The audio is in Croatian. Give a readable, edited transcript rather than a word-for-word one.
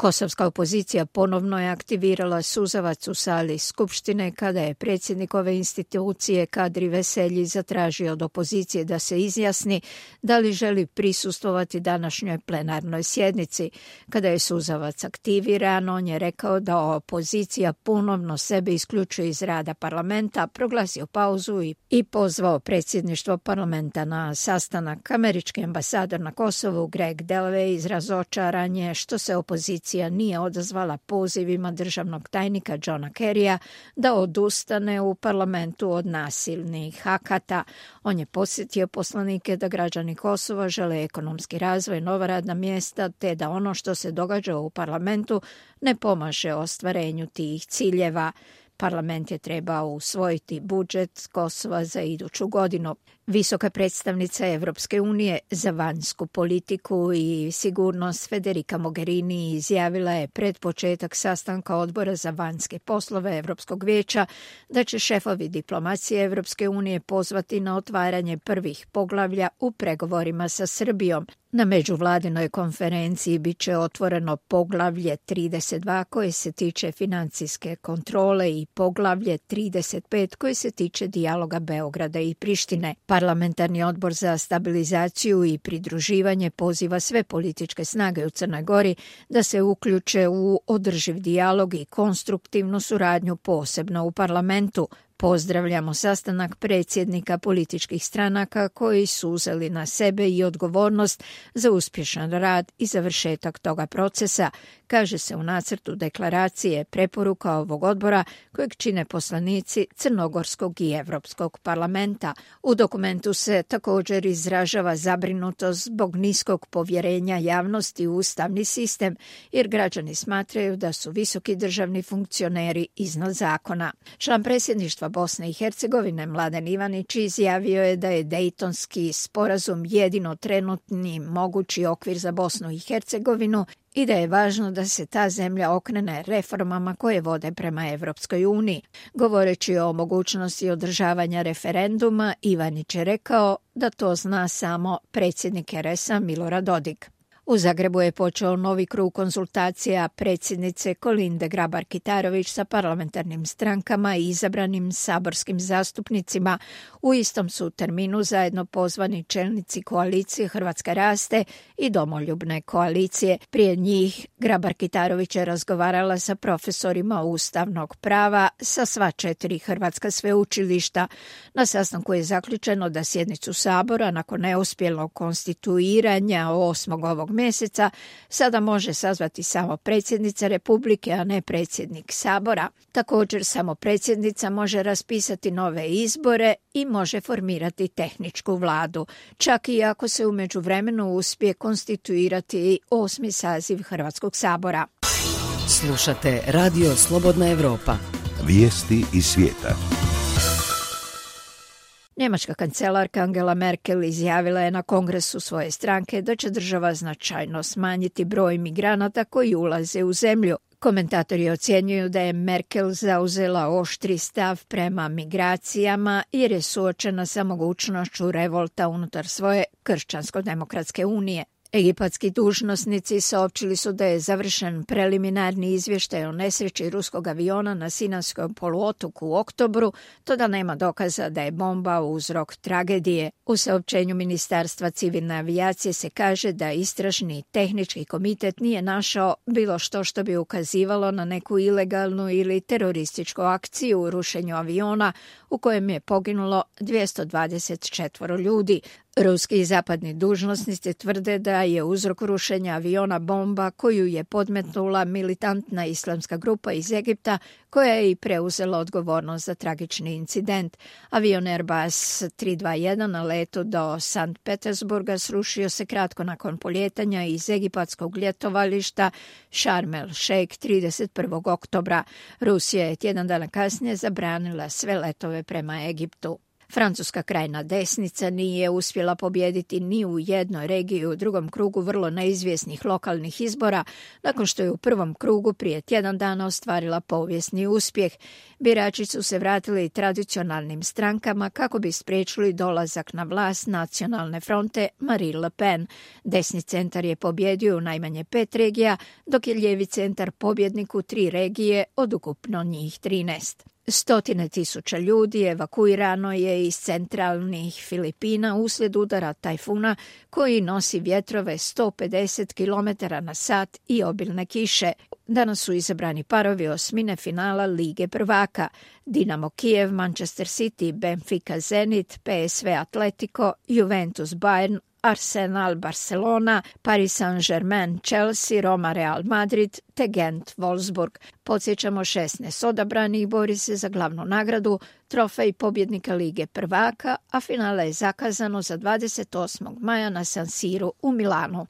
Kosovska opozicija ponovno je aktivirala suzavac u sali Skupštine kada je predsjednik ove institucije Kadri Veselji zatražio od opozicije da se izjasni da li želi prisustvovati današnjoj plenarnoj sjednici. Kada je suzavac aktiviran, on je rekao da opozicija ponovno sebe isključuje iz rada parlamenta, proglasio pauzu i pozvao predsjedništvo parlamenta na sastanak. Američki ambasador na Kosovu Greg Delaway izrazio očaranje što se opozicija nije odazvala pozivima državnog tajnika Johna Kerrya da odustane u parlamentu od nasilnih akata. On je podsjetio poslanike da građani Kosova žele ekonomski razvoj, nova radna mjesta, te da ono što se događa u parlamentu ne pomaže ostvarenju tih ciljeva. Parlament je trebao usvojiti budžet Kosova za iduću godinu. Visoka predstavnica Evropske unije za vanjsku politiku i sigurnost Federica Mogherini izjavila je pred početak sastanka Odbora za vanjske poslove Evropskog vijeća da će šefovi diplomacije Evropske unije pozvati na otvaranje prvih poglavlja u pregovorima sa Srbijom. Na međuvladinoj konferenciji bit će otvoreno poglavlje 32 koje se tiče financijske kontrole i poglavlje 35 koje se tiče dijaloga Beograda i Prištine. Parlamentarni odbor za stabilizaciju i pridruživanje poziva sve političke snage u Crnoj Gori da se uključe u održiv dijalog i konstruktivnu suradnju posebno u parlamentu. Pozdravljamo sastanak predsjednika političkih stranaka koji su uzeli na sebe i odgovornost za uspješan rad i završetak toga procesa, kaže se u nacrtu deklaracije preporuka ovog odbora kojeg čine poslanici Crnogorskog i Evropskog parlamenta. U dokumentu se također izražava zabrinutost zbog niskog povjerenja javnosti u ustavni sistem, jer građani smatraju da su visoki državni funkcioneri iznad zakona. Član predsjedništva Bosne i Hercegovine Mladen Ivanić izjavio je da je Dejtonski sporazum jedino trenutni mogući okvir za Bosnu i Hercegovinu i da je važno da se ta zemlja okrene reformama koje vode prema Evropskoj uniji. Govoreći o mogućnosti održavanja referenduma, Ivanić je rekao da to zna samo predsjednik RS-a Milorad Dodik. U Zagrebu je počeo novi krug konsultacija predsjednice Kolinde Grabar-Kitarović sa parlamentarnim strankama i izabranim saborskim zastupnicima. U istom su terminu zajedno pozvani čelnici koalicije Hrvatska raste i Domoljubne koalicije. Prije njih Grabar-Kitarović je razgovarala sa profesorima ustavnog prava sa sva 4 hrvatska sveučilišta. Na sastanku je zaključeno da sjednicu Sabora nakon neuspjelog konstituiranja 8. ovog mjeseca sada može sazvati samo predsjednica Republike, a ne predsjednik Sabora. Također samo predsjednica može raspisati nove izbore i može formirati tehničku vladu, čak i ako se u međuvremenu uspije konstituirati 8. saziv Hrvatskog sabora. Slušate Radio Slobodna Evropa. Vijesti iz svijeta. Njemačka kancelarka Angela Merkel izjavila je na kongresu svoje stranke da će država značajno smanjiti broj migranata koji ulaze u zemlju. Komentatori ocjenjuju da je Merkel zauzela oštri stav prema migracijama jer je suočena sa mogućnošću revolta unutar svoje kršćansko-demokratske unije. Egipatski dužnosnici saopćili su da je završen preliminarni izvještaj o nesreći ruskog aviona na Sinajskom poluotoku u oktobru, to da nema dokaza da je bomba uzrok tragedije. U saopćenju Ministarstva civilne avijacije se kaže da istražni tehnički komitet nije našao bilo što bi ukazivalo na neku ilegalnu ili terorističku akciju u rušenju aviona u kojem je poginulo 224 ljudi. Ruski i zapadni dužnosnici tvrde da je uzrok rušenja aviona bomba koju je podmetnula militantna islamska grupa iz Egipta koja je i preuzela odgovornost za tragični incident. Avion Airbus 321 na letu do Sankt Petersburga srušio se kratko nakon poljetanja iz egipatskog ljetovališta Sharm el Sheikh 31. oktobra. Rusija je tjedan dana kasnije zabranila sve letove prema Egiptu. Francuska krajna desnica nije uspjela pobijediti ni u jednoj regiji u drugom krugu vrlo neizvjesnih lokalnih izbora, nakon što je u prvom krugu prije tjedan dana ostvarila povijesni uspjeh. Birači su se vratili tradicionalnim strankama kako bi spriječili dolazak na vlast Nacionalne fronte Marine Le Pen. Desni centar je pobjedio u najmanje 5 regija, dok je lijevi centar pobjednik u 3 regije od ukupno njih 13. Stotine tisuća ljudi evakuirano je iz centralnih Filipina uslijed udara tajfuna koji nosi vjetrove 150 km/h i obilne kiše. Danas su izabrani parovi osmine finala Lige prvaka. Dinamo Kijev, Manchester City, Benfica Zenit, PSV Atletico, Juventus Bayern, Arsenal Barcelona, Paris Saint-Germain Chelsea, Roma Real Madrid te Gent Wolfsburg. Podsjećamo, 16 odabranih bori se za glavnu nagradu, trofej pobjednika Lige prvaka, a finale je zakazano za 28. maja na San Siru u Milanu.